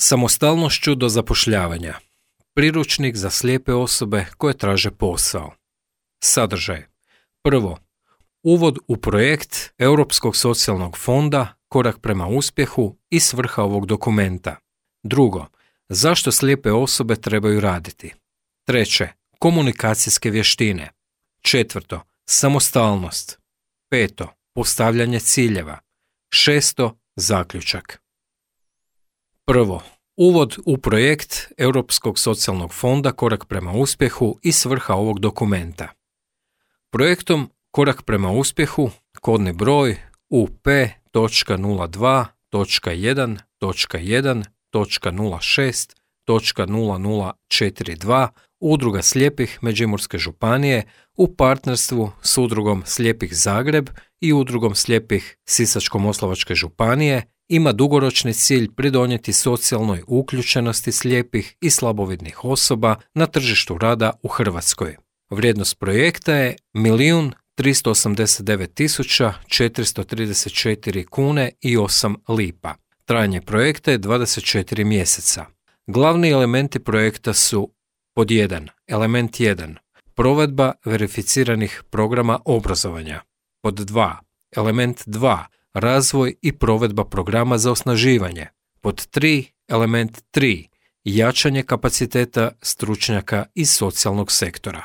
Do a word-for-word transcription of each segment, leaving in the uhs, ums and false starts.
Samostalnošću do zapošljavanja. Priručnik za slijepe osobe koje traže posao. Sadržaj. Prvo, uvod u projekt Europskog socijalnog fonda, korak prema uspjehu i svrha ovog dokumenta. Drugo, zašto slijepe osobe trebaju raditi. Treće, komunikacijske vještine. Četvrto, samostalnost. Peto, postavljanje ciljeva. Šesto, zaključak. Prvo, uvod u projekt Europskog socijalnog fonda Korak prema uspjehu i svrha ovog dokumenta. Projektom Korak prema uspjehu, kodni broj U P nula dva jedan jedan nula šest nula nula četiri dva Udruga slijepih Međimurske županije u partnerstvu s Udrugom slijepih Zagreb i Udrugom slijepih Sisačko-moslavačke županije ima dugoročni cilj pridonijeti socijalnoj uključenosti slijepih i slabovidnih osoba na tržištu rada u Hrvatskoj. Vrijednost projekta je milijun tristo osamdeset devet tisuća četiristo trideset četiri kune i osam lipa. Trajanje projekta je dvadeset četiri mjeseca. Glavni elementi projekta su pod jedan. Element jedan. Provedba verificiranih programa obrazovanja. Pod dva. Element dva. Razvoj i provedba programa za osnaživanje. Pod tri. Element tri. Jačanje kapaciteta stručnjaka iz socijalnog sektora.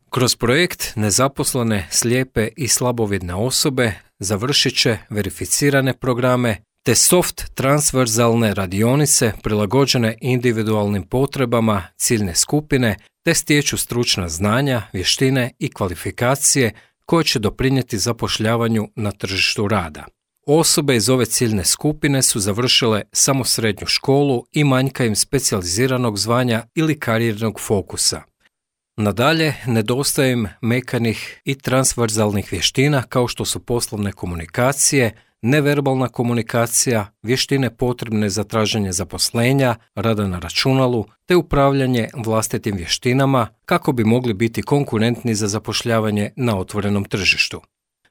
Kroz projekt nezaposlene, slijepe i slabovidne osobe završit će verificirane programe te soft transverzalne radionice prilagođene individualnim potrebama ciljne skupine te stječu stručna znanja, vještine i kvalifikacije koje će doprinijeti zapošljavanju na tržištu rada. Osobe iz ove ciljne skupine su završile samo srednju školu i manjka im specijaliziranog zvanja ili karijernog fokusa. Nadalje, nedostaje im mekanih i transverzalnih vještina kao što su poslovne komunikacije, neverbalna komunikacija, vještine potrebne za traženje zaposlenja, rada na računalu te upravljanje vlastitim vještinama kako bi mogli biti konkurentni za zapošljavanje na otvorenom tržištu.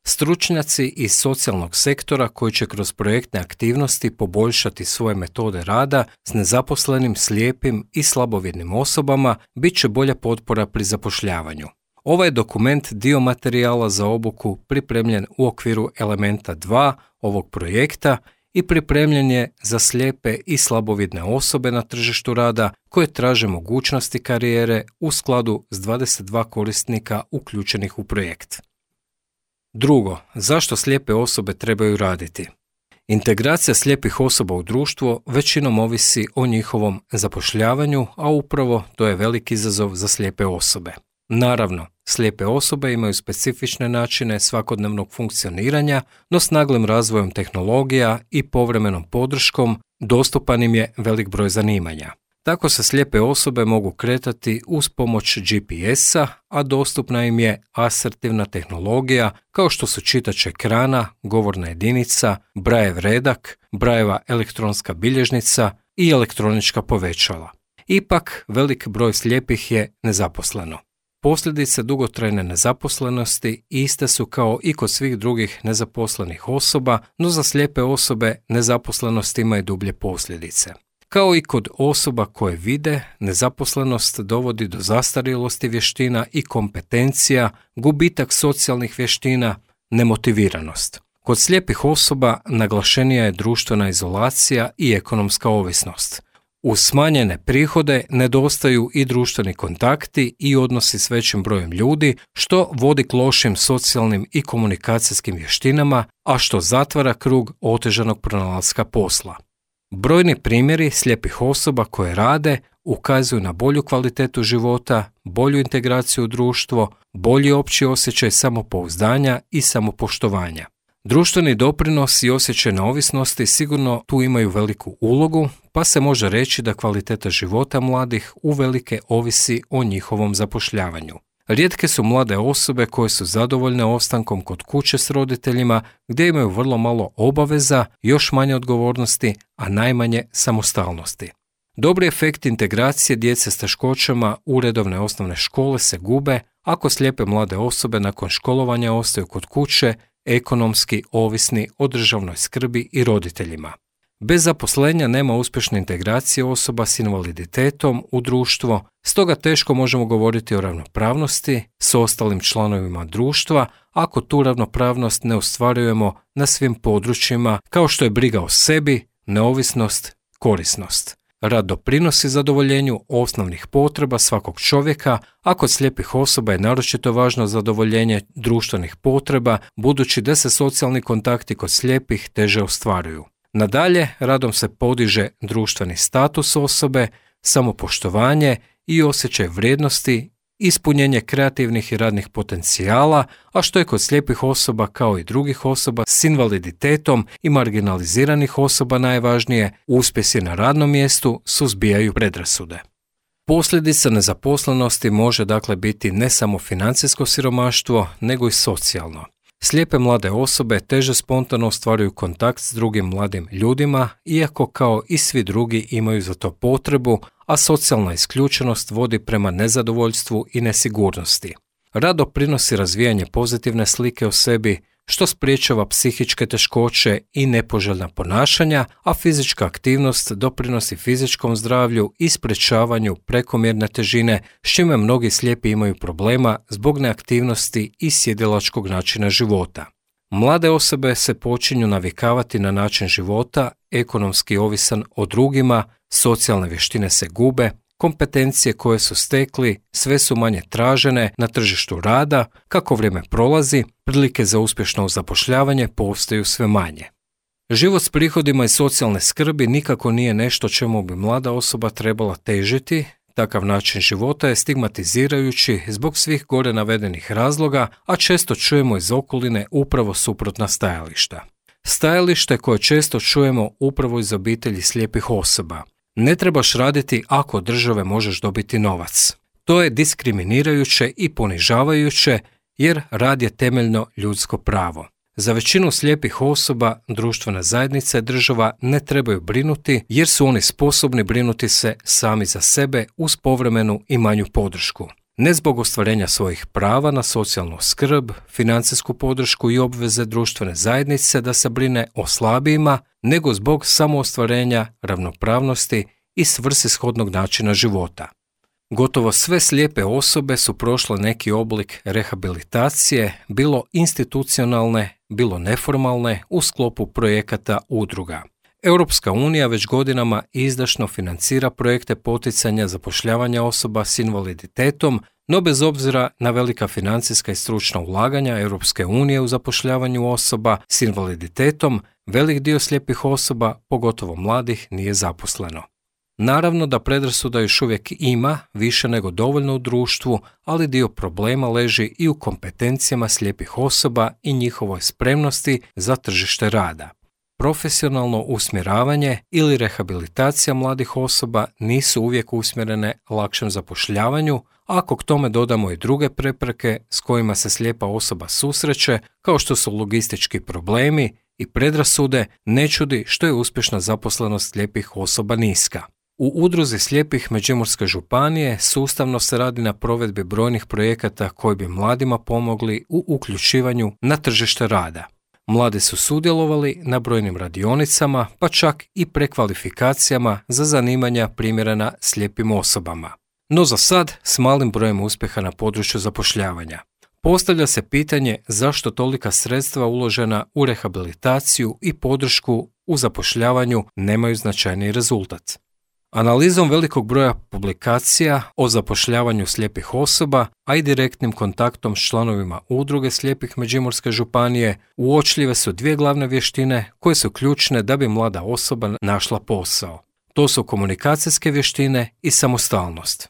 Stručnjaci iz socijalnog sektora koji će kroz projektne aktivnosti poboljšati svoje metode rada s nezaposlenim, slijepim i slabovidnim osobama bit će bolja potpora pri zapošljavanju. Ovaj je dokument dio materijala za obuku pripremljen u okviru elementa dva ovog projekta i pripremljen je za slijepe i slabovidne osobe na tržištu rada koje traže mogućnosti karijere u skladu s dvadeset dva korisnika uključenih u projekt. Drugo, zašto slijepe osobe trebaju raditi? Integracija slijepih osoba u društvo većinom ovisi o njihovom zapošljavanju, a upravo to je veliki izazov za slijepe osobe. Naravno, slijepe osobe imaju specifične načine svakodnevnog funkcioniranja, no s naglim razvojem tehnologija i povremenom podrškom dostupan im je velik broj zanimanja. Tako se slijepe osobe mogu kretati uz pomoć G P S-a, a dostupna im je asertivna tehnologija kao što su čitač ekrana, govorna jedinica, Brajev redak, Brajeva elektronska bilježnica i elektronička povećala. Ipak, velik broj slijepih je nezaposleno. Posljedice dugotrajne nezaposlenosti iste su kao i kod svih drugih nezaposlenih osoba, no za slijepe osobe nezaposlenost ima i dublje posljedice. Kao i kod osoba koje vide, nezaposlenost dovodi do zastarjelosti vještina i kompetencija, gubitak socijalnih vještina, nemotiviranost. Kod slijepih osoba naglašenija je društvena izolacija i ekonomska ovisnost. Uz smanjene prihode nedostaju i društveni kontakti i odnosi s većim brojem ljudi, što vodi k lošim socijalnim i komunikacijskim vještinama, a što zatvara krug otežanog pronalaska posla. Brojni primjeri slijepih osoba koje rade ukazuju na bolju kvalitetu života, bolju integraciju u društvo, bolji opći osjećaj samopouzdanja i samopoštovanja. Društveni doprinos i osjećaj neovisnosti sigurno tu imaju veliku ulogu, pa se može reći da kvaliteta života mladih uvelike ovisi o njihovom zapošljavanju. Rijetke su mlade osobe koje su zadovoljne ostankom kod kuće s roditeljima gdje imaju vrlo malo obaveza, još manje odgovornosti, a najmanje samostalnosti. Dobri efekti integracije djece s teškoćama u redovne osnovne škole se gube ako slijepe mlade osobe nakon školovanja ostaju kod kuće ekonomski ovisni o državnoj skrbi i roditeljima. Bez zaposlenja nema uspješne integracije osoba s invaliditetom u društvo, stoga teško možemo govoriti o ravnopravnosti s ostalim članovima društva ako tu ravnopravnost ne ostvarujemo na svim područjima kao što je briga o sebi, neovisnost, korisnost. Rad doprinosi zadovoljenju osnovnih potreba svakog čovjeka, a kod slijepih osoba je naročito važno zadovoljenje društvenih potreba, budući da se socijalni kontakti kod slijepih teže ostvaruju. Nadalje, radom se podiže društveni status osobe, samopoštovanje i osjećaj vrijednosti, ispunjenje kreativnih i radnih potencijala, a što je kod slijepih osoba kao i drugih osoba s invaliditetom i marginaliziranih osoba najvažnije, uspjesi na radnom mjestu suzbijaju predrasude. Posljedica nezaposlenosti može dakle biti ne samo financijsko siromaštvo, nego i socijalno. Slijepe mlade osobe teže spontano ostvaruju kontakt s drugim mladim ljudima, iako kao i svi drugi imaju za to potrebu, a socijalna isključenost vodi prema nezadovoljstvu i nesigurnosti. Rad doprinosi razvijanje pozitivne slike o sebi, što sprječava psihičke teškoće i nepoželjna ponašanja, a fizička aktivnost doprinosi fizičkom zdravlju i sprječavanju prekomjerne težine, s čime mnogi slijepi imaju problema zbog neaktivnosti i sjedilačkog načina života. Mlade osobe se počinju navikavati na način života, ekonomski ovisan o drugima, socijalne vještine se gube, kompetencije koje su stekli sve su manje tražene na tržištu rada, kako vrijeme prolazi, prilike za uspješno zapošljavanje postaju sve manje. Život s prihodima i socijalne skrbi nikako nije nešto čemu bi mlada osoba trebala težiti. Takav način života je stigmatizirajući zbog svih gore navedenih razloga, a često čujemo iz okoline upravo suprotna stajališta. Stajalište koje često čujemo upravo iz obitelji slijepih osoba. Ne trebaš raditi ako od države možeš dobiti novac. To je diskriminirajuće i ponižavajuće jer rad je temeljno ljudsko pravo. Za većinu slijepih osoba društvena zajednica i država ne trebaju brinuti jer su oni sposobni brinuti se sami za sebe uz povremenu i manju podršku. Ne zbog ostvarenja svojih prava na socijalnu skrb, financijsku podršku i obveze društvene zajednice da se brine o slabijima, nego zbog samoostvarenja, ravnopravnosti i svrsishodnog načina života. Gotovo sve slijepe osobe su prošle neki oblik rehabilitacije, bilo institucionalne, bilo neformalne, u sklopu projekata udruga. Europska unija već godinama izdašno financira projekte poticanja zapošljavanja osoba s invaliditetom, no bez obzira na velika financijska i stručna ulaganja Europske unije u zapošljavanju osoba s invaliditetom, velik dio slijepih osoba, pogotovo mladih, nije zaposleno. Naravno da predrasuda još uvijek ima, više nego dovoljno u društvu, ali dio problema leži i u kompetencijama slijepih osoba i njihovoj spremnosti za tržište rada. Profesionalno usmjeravanje ili rehabilitacija mladih osoba nisu uvijek usmjerene lakšem zapošljavanju, ako k tome dodamo i druge prepreke s kojima se slijepa osoba susreće, kao što su logistički problemi i predrasude, ne čudi što je uspješna zaposlenost slijepih osoba niska. U udruzi slijepih Međimurske županije sustavno se radi na provedbi brojnih projekata koji bi mladima pomogli u uključivanju na tržište rada. Mladi su sudjelovali na brojnim radionicama, pa čak i prekvalifikacijama za zanimanja primjerena slijepim osobama. No za sad s malim brojem uspjeha na području zapošljavanja. Postavlja se pitanje zašto tolika sredstva uložena u rehabilitaciju i podršku u zapošljavanju nemaju značajni rezultat. Analizom velikog broja publikacija o zapošljavanju slijepih osoba, a i direktnim kontaktom s članovima udruge slijepih Međimurske županije, uočljive su dvije glavne vještine koje su ključne da bi mlada osoba našla posao. To su komunikacijske vještine i samostalnost.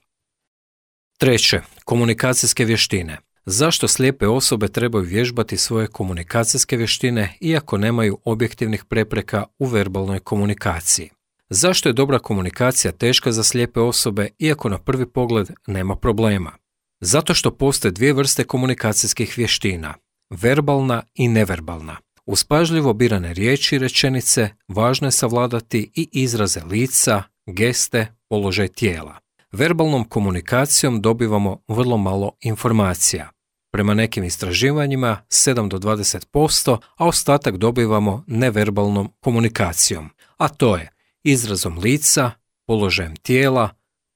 Treće, komunikacijske vještine. Zašto slijepe osobe trebaju vježbati svoje komunikacijske vještine iako nemaju objektivnih prepreka u verbalnoj komunikaciji? Zašto je dobra komunikacija teška za slijepe osobe iako na prvi pogled nema problema? Zato što postoje dvije vrste komunikacijskih vještina, verbalna i neverbalna. Uz pažljivo birane riječi i rečenice važno je savladati i izraze lica, geste, položaj tijela. Verbalnom komunikacijom dobivamo vrlo malo informacija. Prema nekim istraživanjima sedam do dvadeset posto, a ostatak dobivamo neverbalnom komunikacijom. a to je izrazom lica, položajem tijela,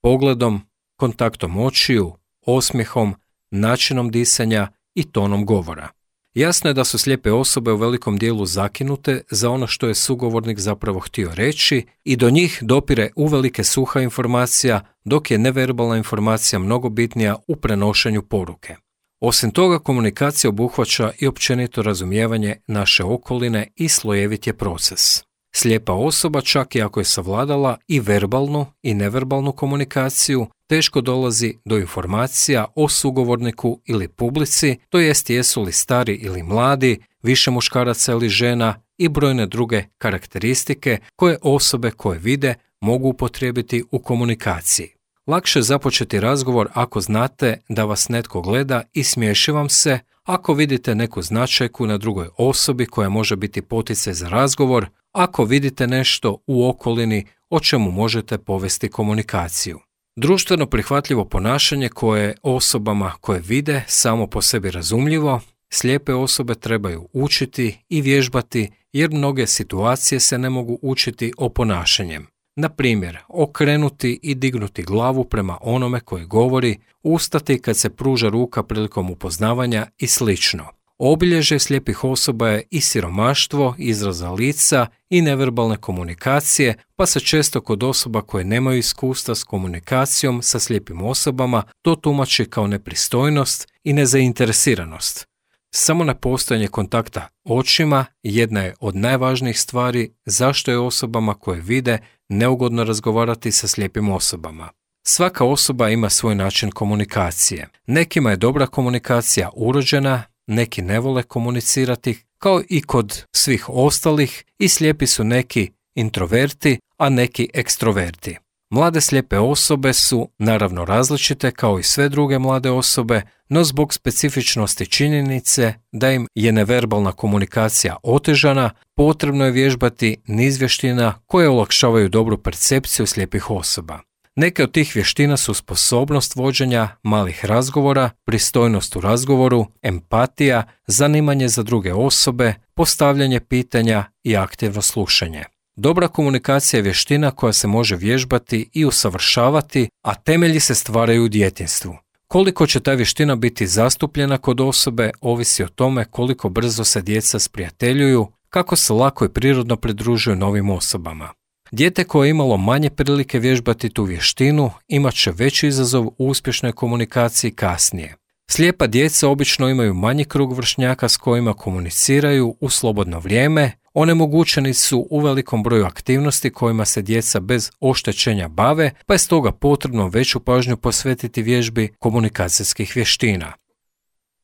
pogledom, kontaktom očiju, osmijehom, načinom disanja i tonom govora. Jasno je da su slijepe osobe u velikom dijelu zakinute za ono što je sugovornik zapravo htio reći i do njih dopire uvelike suha informacija, dok je neverbalna informacija mnogo bitnija u prenošenju poruke. Osim toga, komunikacija obuhvaća i općenito razumijevanje naše okoline i slojevit je proces. Slijepa osoba, čak i ako je savladala i verbalnu i neverbalnu komunikaciju, teško dolazi do informacija o sugovorniku ili publici, to jest jesu li stari ili mladi, više muškaraca ili žena i brojne druge karakteristike koje osobe koje vide mogu upotrijebiti u komunikaciji. Lakše je započeti razgovor ako znate da vas netko gleda i smiješi vam se, ako vidite neku značajku na drugoj osobi koja može biti poticaj za razgovor, ako vidite nešto u okolini o čemu možete povesti komunikaciju. Društveno prihvatljivo ponašanje koje je osobama koje vide samo po sebi razumljivo, slijepe osobe trebaju učiti i vježbati jer mnoge situacije se ne mogu učiti oponašanjem. Na primjer, okrenuti i dignuti glavu prema onome koji govori, ustati kad se pruža ruka prilikom upoznavanja i slično. Obilježje slijepih osoba je i siromaštvo, izraza lica i neverbalne komunikacije, pa se često kod osoba koje nemaju iskustva s komunikacijom sa slijepim osobama to tumači kao nepristojnost i nezainteresiranost. Samo nepostojanje kontakta očima jedna je od najvažnijih stvari zašto je osobama koje vide neugodno razgovarati sa slijepim osobama. Svaka osoba ima svoj način komunikacije. Nekima je dobra komunikacija urođena, neki ne vole komunicirati, kao i kod svih ostalih, i slijepi su neki introverti, a neki ekstroverti. Mlade slijepe osobe su naravno različite kao i sve druge mlade osobe, no zbog specifičnosti činjenice da im je neverbalna komunikacija otežana, potrebno je vježbati niz vještina koje olakšavaju dobru percepciju slijepih osoba. Neke od tih vještina su sposobnost vođenja malih razgovora, pristojnost u razgovoru, empatija, zanimanje za druge osobe, postavljanje pitanja i aktivno slušanje. Dobra komunikacija je vještina koja se može vježbati i usavršavati, a temelji se stvaraju u djetinjstvu. Koliko će ta vještina biti zastupljena kod osobe ovisi o tome koliko brzo se djeca sprijateljuju, kako se lako i prirodno pridružuju novim osobama. Dijete koje je imalo manje prilike vježbati tu vještinu imat će veći izazov u uspješnoj komunikaciji kasnije. Slijepa djeca obično imaju manji krug vršnjaka s kojima komuniciraju u slobodno vrijeme, onemogućeni su u velikom broju aktivnosti kojima se djeca bez oštećenja bave, pa je stoga potrebno veću pažnju posvetiti vježbi komunikacijskih vještina.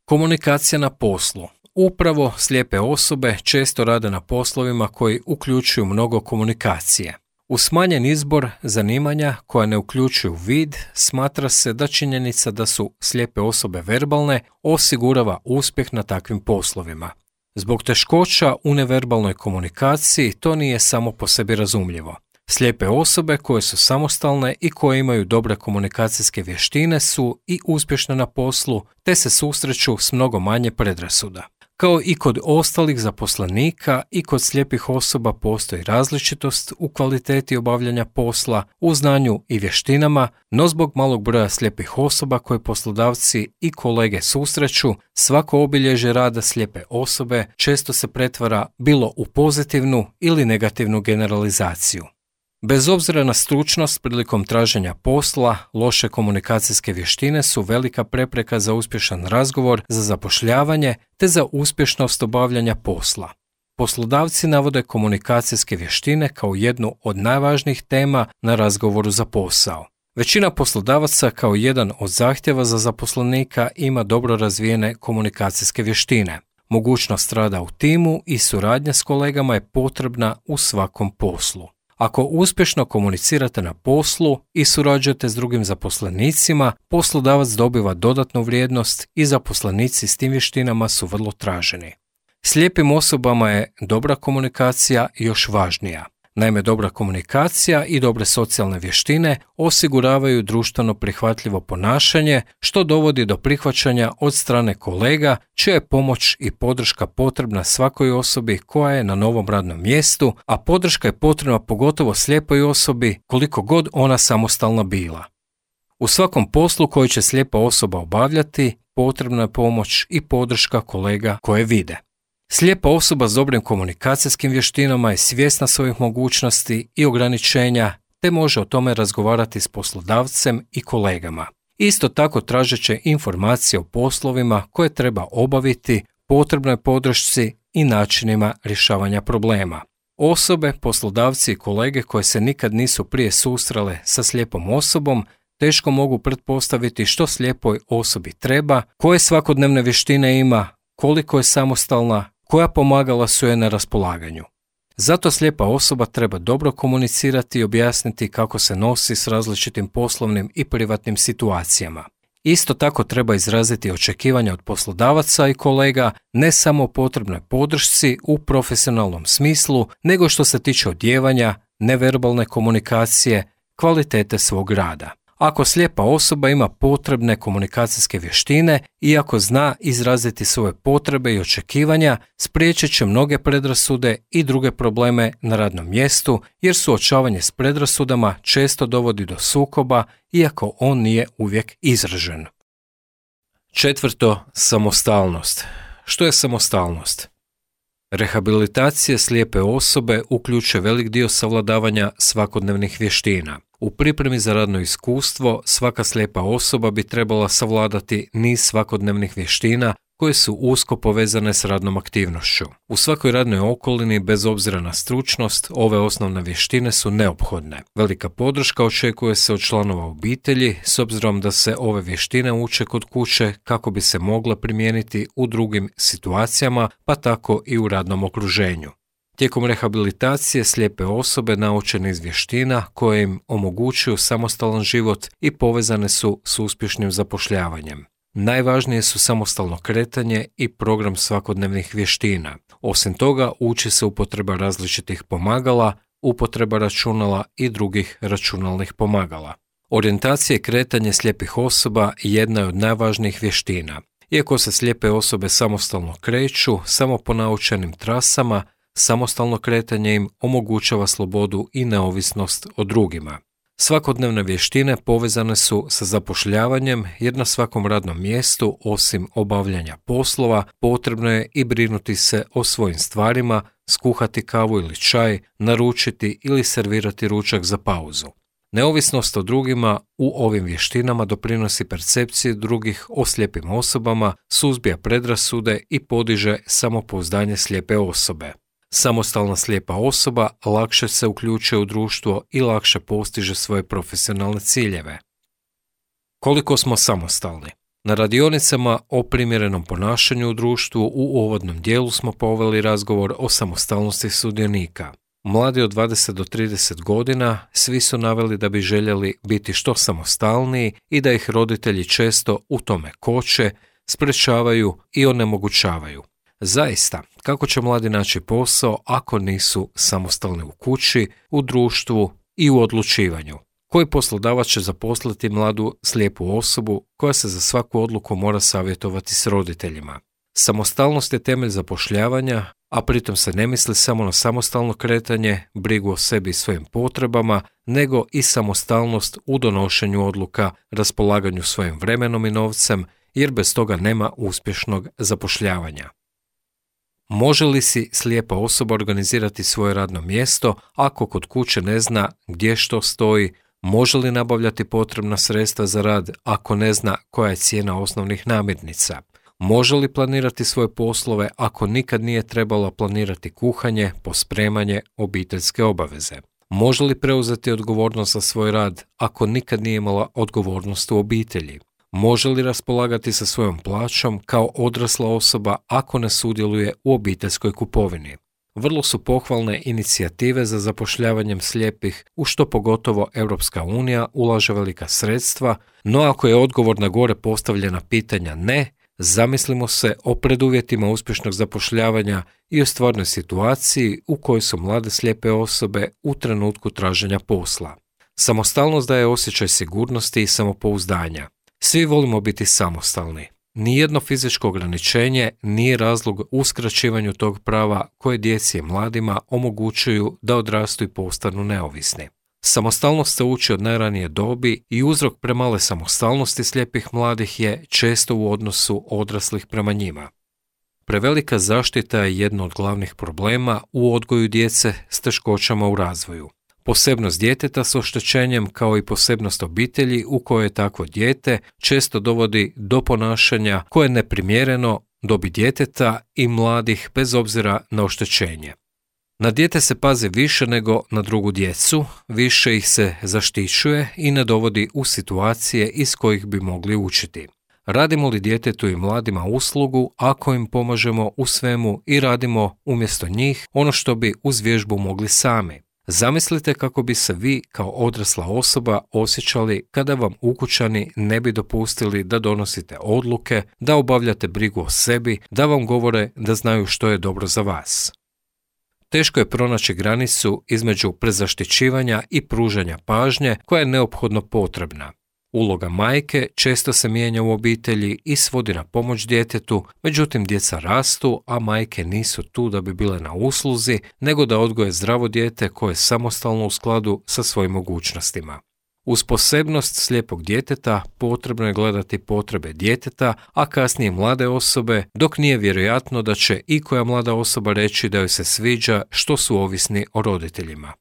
Komunikacija na poslu. Upravo slijepe osobe često rade na poslovima koji uključuju mnogo komunikacije. Uz smanjen izbor zanimanja koja ne uključuju vid, smatra se da činjenica da su slijepe osobe verbalne osigurava uspjeh na takvim poslovima. Zbog teškoća u neverbalnoj komunikaciji to nije samo po sebi razumljivo. Slijepe osobe koje su samostalne i koje imaju dobre komunikacijske vještine su i uspješne na poslu, te se susreću s mnogo manje predrasuda. Kao i kod ostalih zaposlenika i kod slijepih osoba postoji različitost u kvaliteti obavljanja posla, u znanju i vještinama, no zbog malog broja slijepih osoba koje poslodavci i kolege susreću, svako obilježje rada slijepe osobe često se pretvara bilo u pozitivnu ili negativnu generalizaciju. Bez obzira na stručnost prilikom traženja posla, loše komunikacijske vještine su velika prepreka za uspješan razgovor, za zapošljavanje te za uspješnost obavljanja posla. Poslodavci navode komunikacijske vještine kao jednu od najvažnijih tema na razgovoru za posao. Većina poslodavaca kao jedan od zahtjeva za zaposlenika ima dobro razvijene komunikacijske vještine. Mogućnost rada u timu i suradnja s kolegama je potrebna u svakom poslu. Ako uspješno komunicirate na poslu i surađujete s drugim zaposlenicima, poslodavac dobiva dodatnu vrijednost i zaposlenici s tim vještinama su vrlo traženi. Slijepim osobama je dobra komunikacija još važnija. Naime, dobra komunikacija i dobre socijalne vještine osiguravaju društveno prihvatljivo ponašanje, što dovodi do prihvaćanja od strane kolega, čija je pomoć i podrška potrebna svakoj osobi koja je na novom radnom mjestu, a podrška je potrebna pogotovo slijepoj osobi koliko god ona samostalna bila. U svakom poslu koji će slijepa osoba obavljati, potrebna je pomoć i podrška kolega koje vide. Slijepa osoba s dobrim komunikacijskim vještinama je svjesna svojih mogućnosti i ograničenja, te može o tome razgovarati s poslodavcem i kolegama. Isto tako tražeće informacije o poslovima koje treba obaviti, potrebnoj podršci i načinima rješavanja problema. Osobe, poslodavci i kolege koje se nikad nisu prije susrele sa slijepom osobom teško mogu pretpostaviti što slijepoj osobi treba, koje svakodnevne vještine ima, koliko je samostalna, koja pomagala su joj na raspolaganju. Zato slijepa osoba treba dobro komunicirati i objasniti kako se nosi s različitim poslovnim i privatnim situacijama. Isto tako treba izraziti očekivanja od poslodavaca i kolega ne samo o potrebnoj podršci u profesionalnom smislu, nego što se tiče odjevanja, neverbalne komunikacije, kvalitete svog rada. Ako slijepa osoba ima potrebne komunikacijske vještine i ako zna izraziti svoje potrebe i očekivanja, spriječit će mnoge predrasude i druge probleme na radnom mjestu, jer suočavanje s predrasudama često dovodi do sukoba, iako on nije uvijek izražen. Četvrto, samostalnost. Što je samostalnost? Rehabilitacija slijepe osobe uključuje velik dio savladavanja svakodnevnih vještina. U pripremi za radno iskustvo svaka slijepa osoba bi trebala savladati niz svakodnevnih vještina koje su usko povezane s radnom aktivnošću. U svakoj radnoj okolini, bez obzira na stručnost, ove osnovne vještine su neophodne. Velika podrška očekuje se od članova obitelji, s obzirom da se ove vještine uče kod kuće kako bi se mogle primijeniti u drugim situacijama, pa tako i u radnom okruženju. Tijekom rehabilitacije slijepe osobe naučene iz vještina koje im omogućuju samostalan život i povezane su s uspješnim zapošljavanjem. Najvažnije su samostalno kretanje i program svakodnevnih vještina. Osim toga, uči se upotreba različitih pomagala, upotreba računala i drugih računalnih pomagala. Orijentacija i kretanje slijepih osoba jedna je od najvažnijih vještina. Iako se slijepe osobe samostalno kreću, samo po naučenim trasama, samostalno kretanje im omogućava slobodu i neovisnost o drugima. Svakodnevne vještine povezane su sa zapošljavanjem, jer na svakom radnom mjestu, osim obavljanja poslova, potrebno je i brinuti se o svojim stvarima, skuhati kavu ili čaj, naručiti ili servirati ručak za pauzu. Neovisnost o drugima u ovim vještinama doprinosi percepciji drugih o slijepim osobama, suzbija predrasude i podiže samopouzdanje slijepe osobe. Samostalna slijepa osoba lakše se uključuje u društvo i lakše postiže svoje profesionalne ciljeve. Koliko smo samostalni? Na radionicama o primjerenom ponašanju u društvu u uvodnom dijelu smo poveli razgovor o samostalnosti sudionika. Mladi od dvadeset do trideset godina svi su naveli da bi željeli biti što samostalniji i da ih roditelji često u tome koče, sprečavaju i onemogućavaju. Zaista, kako će mladi naći posao ako nisu samostalni u kući, u društvu i u odlučivanju? Koji poslodavac će zaposliti mladu slijepu osobu koja se za svaku odluku mora savjetovati s roditeljima? Samostalnost je temelj zapošljavanja, a pritom se ne misli samo na samostalno kretanje, brigu o sebi i svojim potrebama, nego i samostalnost u donošenju odluka, raspolaganju svojim vremenom i novcem, jer bez toga nema uspješnog zapošljavanja. Može li si slijepa osoba organizirati svoje radno mjesto ako kod kuće ne zna gdje što stoji? Može li nabavljati potrebna sredstva za rad ako ne zna koja je cijena osnovnih namirnica? Može li planirati svoje poslove ako nikad nije trebalo planirati kuhanje, pospremanje, obiteljske obaveze? Može li preuzeti odgovornost za svoj rad ako nikad nije imala odgovornost u obitelji? Može li raspolagati sa svojom plaćom kao odrasla osoba ako ne sudjeluje u obiteljskoj kupovini? Vrlo su pohvalne inicijative za zapošljavanjem slijepih, u što pogotovo Europska unija ulaže velika sredstva, no ako je odgovor na gore postavljena pitanja ne, Zamislimo se o preduvjetima uspješnog zapošljavanja i o stvarnoj situaciji u kojoj su mlade slijepe osobe u trenutku traženja posla. Samostalnost daje osjećaj sigurnosti i samopouzdanja. Svi volimo biti samostalni. Nijedno fizičko ograničenje nije razlog uskraćivanju tog prava koje djeci i mladima omogućuju da odrastu i postanu neovisni. Samostalnost se uči od najranije dobi i uzrok premale samostalnosti slijepih mladih je često u odnosu odraslih prema njima. Prevelika zaštita je jedno od glavnih problema u odgoju djece s teškoćama u razvoju. Posebnost djeteta s oštećenjem kao i posebnost obitelji u kojoj je takvo dijete često dovodi do ponašanja koje je neprimjereno dobi djeteta i mladih bez obzira na oštećenje. Na dijete se pazi više nego na drugu djecu, više ih se zaštićuje i ne dovodi u situacije iz kojih bi mogli učiti. Radimo li djetetu i mladima uslugu ako im pomažemo u svemu i radimo umjesto njih ono što bi uz vježbu mogli sami? Zamislite kako bi se vi kao odrasla osoba osjećali kada vam ukućani ne bi dopustili da donosite odluke, da obavljate brigu o sebi, da vam govore da znaju što je dobro za vas. Teško je pronaći granicu između prezaštićivanja i pružanja pažnje koja je neophodno potrebna. Uloga majke često se mijenja u obitelji i svodi na pomoć djetetu, međutim djeca rastu, a majke nisu tu da bi bile na usluzi, nego da odgoje zdravo dijete koje je samostalno u skladu sa svojim mogućnostima. Uz posebnost slijepog djeteta potrebno je gledati potrebe djeteta, a kasnije mlade osobe, dok nije vjerojatno da će ikoja mlada osoba reći da joj se sviđa što su ovisni o roditeljima.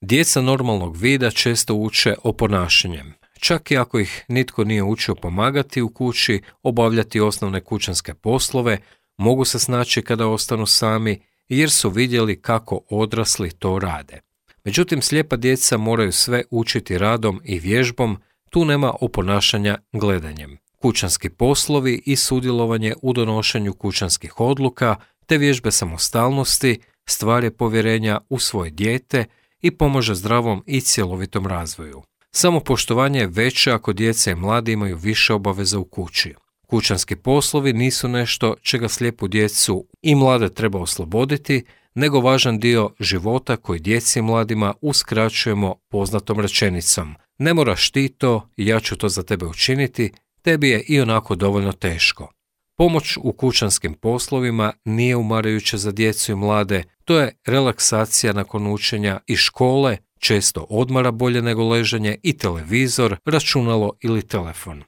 Djeca normalnog vida često uče o ponašanjem. Čak i ako ih nitko nije učio pomagati u kući, obavljati osnovne kućanske poslove, mogu se snaći kada ostanu sami jer su vidjeli kako odrasli to rade. Međutim, slijepa djeca moraju sve učiti radom i vježbom, tu nema oponašanja gledanjem. Kućanski poslovi i sudjelovanje u donošenju kućanskih odluka te vježbe samostalnosti stvar je povjerenja u svoje dijete i pomaže zdravom i cjelovitom razvoju. Samopoštovanje je veće ako djeca i mladi imaju više obaveza u kući. Kućanski poslovi nisu nešto čega slijepu djecu i mlade treba osloboditi, nego važan dio života koji djeci i mladima uskraćujemo poznatom rečenicom. Ne moraš ti to, ja ću to za tebe učiniti, tebi je i onako dovoljno teško. Pomoć u kućanskim poslovima nije umarajuća za djecu i mlade, to je relaksacija nakon učenja i škole, često odmara bolje nego leženje i televizor, računalo ili telefon.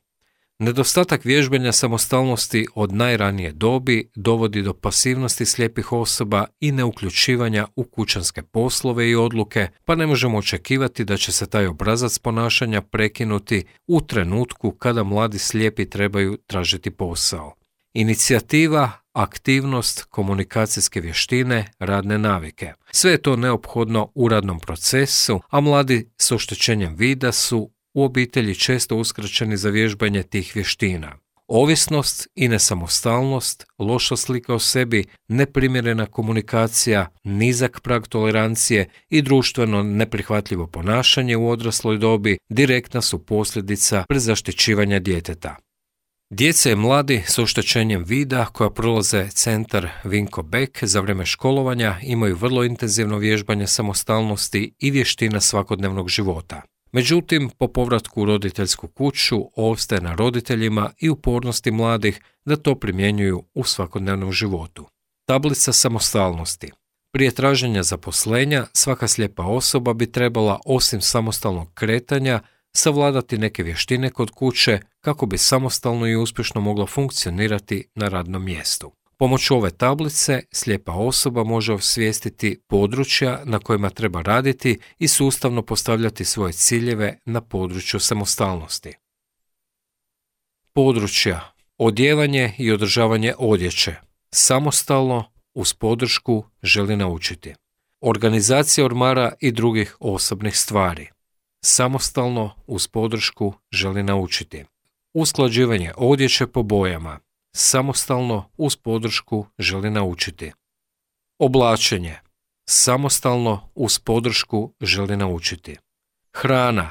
Nedostatak vježbanja samostalnosti od najranije dobi dovodi do pasivnosti slijepih osoba i neuključivanja u kućanske poslove i odluke, pa ne možemo očekivati da će se taj obrazac ponašanja prekinuti u trenutku kada mladi slijepi trebaju tražiti posao. Inicijativa, aktivnost, komunikacijske vještine, radne navike. Sve je to neophodno u radnom procesu, a mladi s oštećenjem vida su u obitelji često uskraćeni za vježbanje tih vještina. Ovisnost i nesamostalnost, loša slika o sebi, neprimjerena komunikacija, nizak prag tolerancije i društveno neprihvatljivo ponašanje u odrasloj dobi direktna su posljedica prezaštićivanja djeteta. Djeca i mladi s oštećenjem vida koja prolaze centar Vinko Beck za vrijeme školovanja imaju vrlo intenzivno vježbanje samostalnosti i vještina svakodnevnog života. Međutim, po povratku u roditeljsku kuću ostaje na roditeljima i upornosti mladih da to primjenjuju u svakodnevnom životu. Tablica samostalnosti. Prije traženja zaposlenja, svaka slijepa osoba bi trebala, osim samostalnog kretanja, savladati neke vještine kod kuće kako bi samostalno i uspješno mogla funkcionirati na radnom mjestu. Pomoću ove tablice slijepa osoba može osvijestiti područja na kojima treba raditi i sustavno postavljati svoje ciljeve na području samostalnosti. Područja: odjevanje i održavanje odjeće. Samostalno, uz podršku, želi naučiti. Organizacija ormara i drugih osobnih stvari. Samostalno, uz podršku, želi naučiti. Usklađivanje odjeće po bojama. Samostalno, uz podršku, želi naučiti. Oblačenje. Samostalno, uz podršku, želi naučiti. Hrana.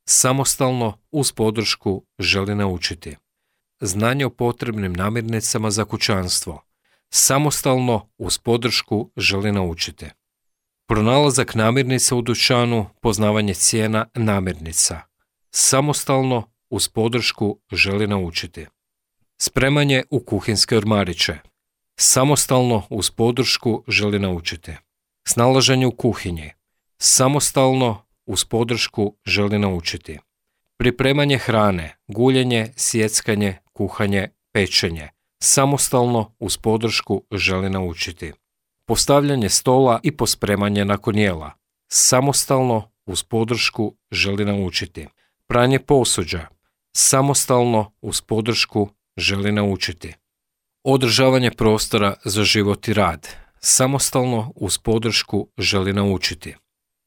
Samostalno, uz podršku, želi naučiti. znanje o potrebnim namirnicama za kućanstvo. Samostalno, uz podršku, želi naučiti. Pronalazak namirnica u dućanu, poznavanje cijena namirnica. Samostalno, uz podršku, želi naučiti. Spremanje u kuhinske ormariće. Samostalno, uz podršku, želi naučiti. Snalaženje u kuhinji. Samostalno, uz podršku, želi naučiti. Pripremanje hrane, guljenje, sjeckanje, kuhanje, pečenje. Samostalno, uz podršku, želi naučiti. Postavljanje stola i pospremanje nakon jela. Samostalno, uz podršku, želi naučiti. Pranje posuđa. Samostalno, uz podršku, želi naučiti. Održavanje prostora za život i rad. Samostalno, uz podršku, želi naučiti.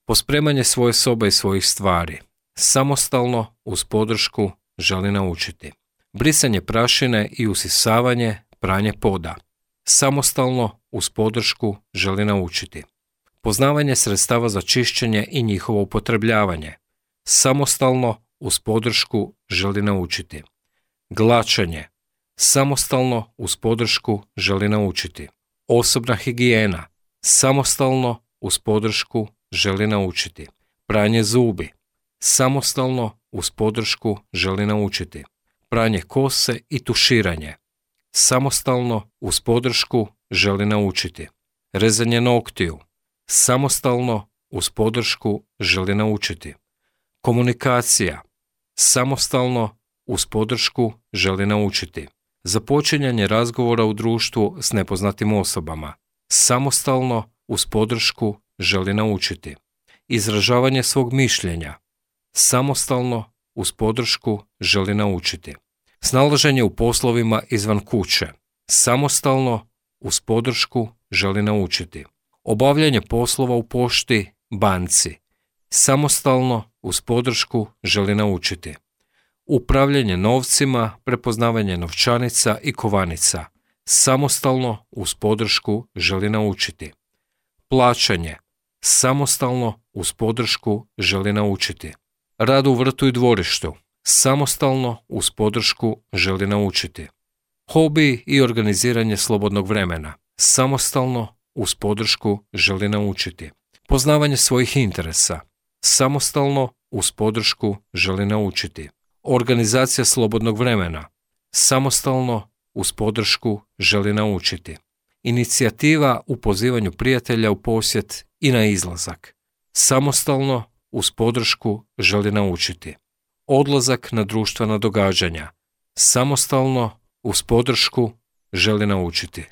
Pospremanje svoje sobe i svojih stvari. Samostalno, uz podršku, želi naučiti. Brisanje prašine i usisavanje, pranje poda. Samostalno, uz podršku, želi naučiti. Poznavanje sredstava za čišćenje i njihovo upotrebljavanje. Samostalno, uz podršku, želi naučiti. Glačanje. Samostalno, uz podršku, želi naučiti. Osobna higijena. Samostalno, uz podršku, želi naučiti. Pranje zubi. Samostalno, uz podršku, želi naučiti. Pranje kose i tuširanje. Samostalno, uz podršku, želi naučiti. Rezanje noktiju. Samostalno, uz podršku, želi naučiti. Komunikacija. Samostalno, uz podršku, želi naučiti. Započinjanje razgovora u društvu s nepoznatim osobama. Samostalno, uz podršku, želi naučiti. Izražavanje svog mišljenja. Samostalno, uz podršku, želi naučiti. Snalaženje u poslovima izvan kuće. Samostalno, uz podršku, želi naučiti. Obavljanje poslova u pošti, banci. Samostalno, uz podršku, želi naučiti. Upravljanje novcima, prepoznavanje novčanica i kovanica. Samostalno, uz podršku, želi naučiti. Plaćanje. Samostalno, uz podršku, želi naučiti. Rad u vrtu i dvorištu. Samostalno, uz podršku, želi naučiti. Hobi i organiziranje slobodnog vremena. Samostalno, uz podršku, želi naučiti. Poznavanje svojih interesa. Samostalno, uz podršku, želi naučiti. Organizacija slobodnog vremena. Samostalno, uz podršku, želi naučiti. Inicijativa u pozivanju prijatelja u posjet i na izlazak. Samostalno, uz podršku, želi naučiti. Odlazak na društvena događanja. Samostalno, uz podršku, želi naučiti.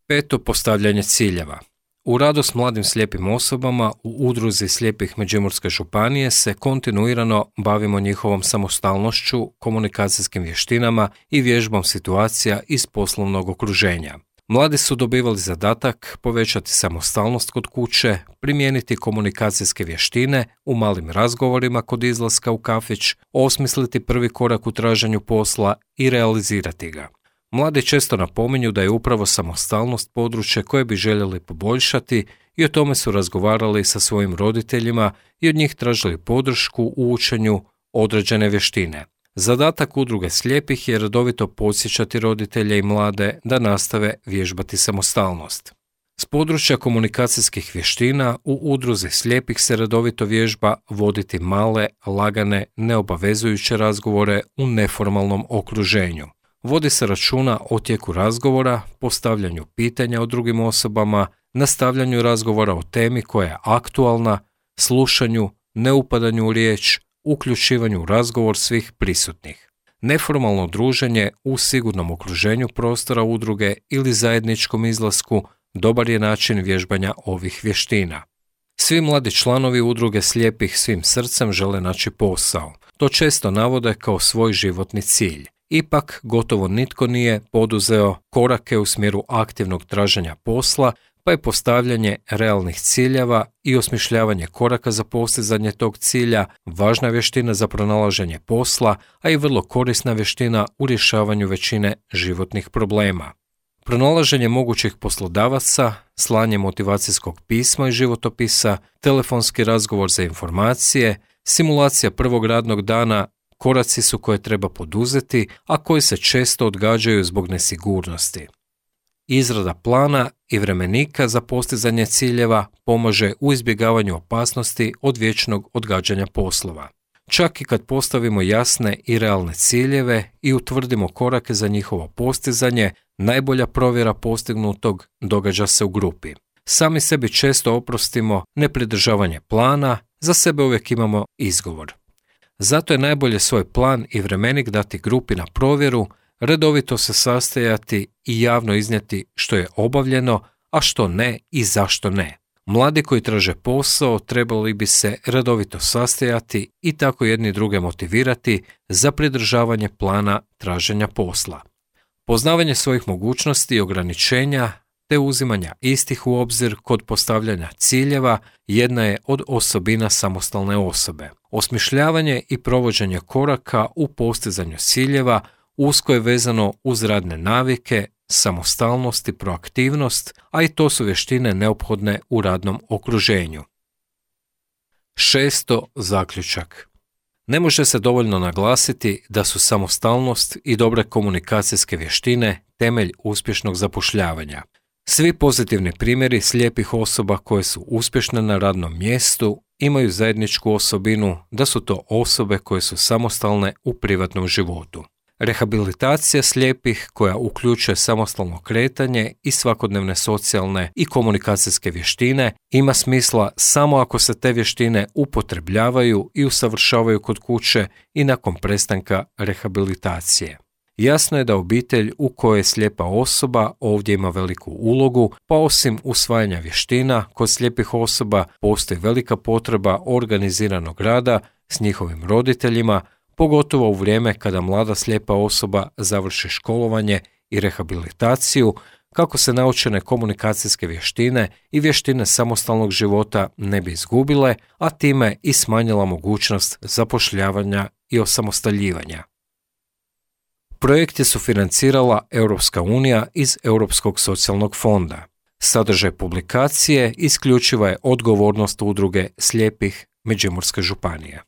Peto, postavljanje ciljeva. U radu s mladim slijepim osobama u Udruzi slijepih Međimurske županije se kontinuirano bavimo njihovom samostalnošću, komunikacijskim vještinama i vježbom situacija iz poslovnog okruženja. Mladi su dobivali zadatak povećati samostalnost kod kuće, primijeniti komunikacijske vještine u malim razgovorima kod izlaska u kafić, osmisliti prvi korak u traženju posla i realizirati ga. Mladi često napominju da je upravo samostalnost područje koje bi željeli poboljšati i o tome su razgovarali sa svojim roditeljima i od njih tražili podršku u učenju određene vještine. Zadatak Udruge slijepih je redovito podsjećati roditelje i mlade da nastave vježbati samostalnost. S područja komunikacijskih vještina u Udruzi slijepih se redovito vježba voditi male, lagane, neobavezujuće razgovore u neformalnom okruženju. Vodi se računa o tijeku razgovora, postavljanju pitanja o drugim osobama, nastavljanju razgovora o temi koja je aktualna, slušanju, neupadanju u riječ, uključivanju u razgovor svih prisutnih. Neformalno druženje u sigurnom okruženju prostora udruge ili zajedničkom izlasku dobar je način vježbanja ovih vještina. Svi mladi članovi udruge slijepih svim srcem žele naći posao. To često navode kao svoj životni cilj. Ipak, gotovo nitko nije poduzeo korake u smjeru aktivnog traženja posla, pa je postavljanje realnih ciljeva i osmišljavanje koraka za postizanje tog cilja važna vještina za pronalaženje posla, a i vrlo korisna vještina u rješavanju većine životnih problema. Pronalaženje mogućih poslodavaca, slanje motivacijskog pisma i životopisa, telefonski razgovor za informacije, simulacija prvog radnog dana, Koraci su koje treba poduzeti, a koji se često odgađaju zbog nesigurnosti. Izrada plana i vremenika za postizanje ciljeva pomaže u izbjegavanju opasnosti od vječnog odgađanja poslova. Čak i kad postavimo jasne i realne ciljeve i utvrdimo korake za njihovo postizanje, najbolja provjera postignutog događa se u grupi. Sami sebi često oprostimo nepridržavanje plana, za sebe uvijek imamo izgovor. Zato je najbolje svoj plan i vremenik dati grupi na provjeru, redovito se sastajati i javno iznijeti što je obavljeno, a što ne i zašto ne. Mladi koji traže posao trebali bi se redovito sastajati i tako jedni druge motivirati za pridržavanje plana traženja posla. Poznavanje svojih mogućnosti i ograničenja te uzimanja istih u obzir kod postavljanja ciljeva jedna je od osobina samostalne osobe. Osmišljavanje i provođenje koraka u postizanju ciljeva usko je vezano uz radne navike, samostalnost i proaktivnost, a i to su vještine neophodne u radnom okruženju. Šesto, zaključak. Ne može se dovoljno naglasiti da su samostalnost i dobre komunikacijske vještine temelj uspješnog zapošljavanja. Svi pozitivni primjeri slijepih osoba koje su uspješne na radnom mjestu imaju zajedničku osobinu da su to osobe koje su samostalne u privatnom životu. Rehabilitacija slijepih koja uključuje samostalno kretanje i svakodnevne socijalne i komunikacijske vještine ima smisla samo ako se te vještine upotrebljavaju i usavršavaju kod kuće i nakon prestanka rehabilitacije. Jasno je da obitelj u kojoj je slijepa osoba ovdje ima veliku ulogu, pa osim usvajanja vještina, kod slijepih osoba postoji velika potreba organiziranog rada s njihovim roditeljima, pogotovo u vrijeme kada mlada slijepa osoba završi školovanje i rehabilitaciju, kako se naučene komunikacijske vještine i vještine samostalnog života ne bi izgubile, a time i smanjila mogućnost zapošljavanja i osamostaljivanja. Projekt je sufinancirala Europska unija iz Europskog socijalnog fonda. Sadržaj publikacije isključiva je odgovornost udruge slijepih Međimurske županije.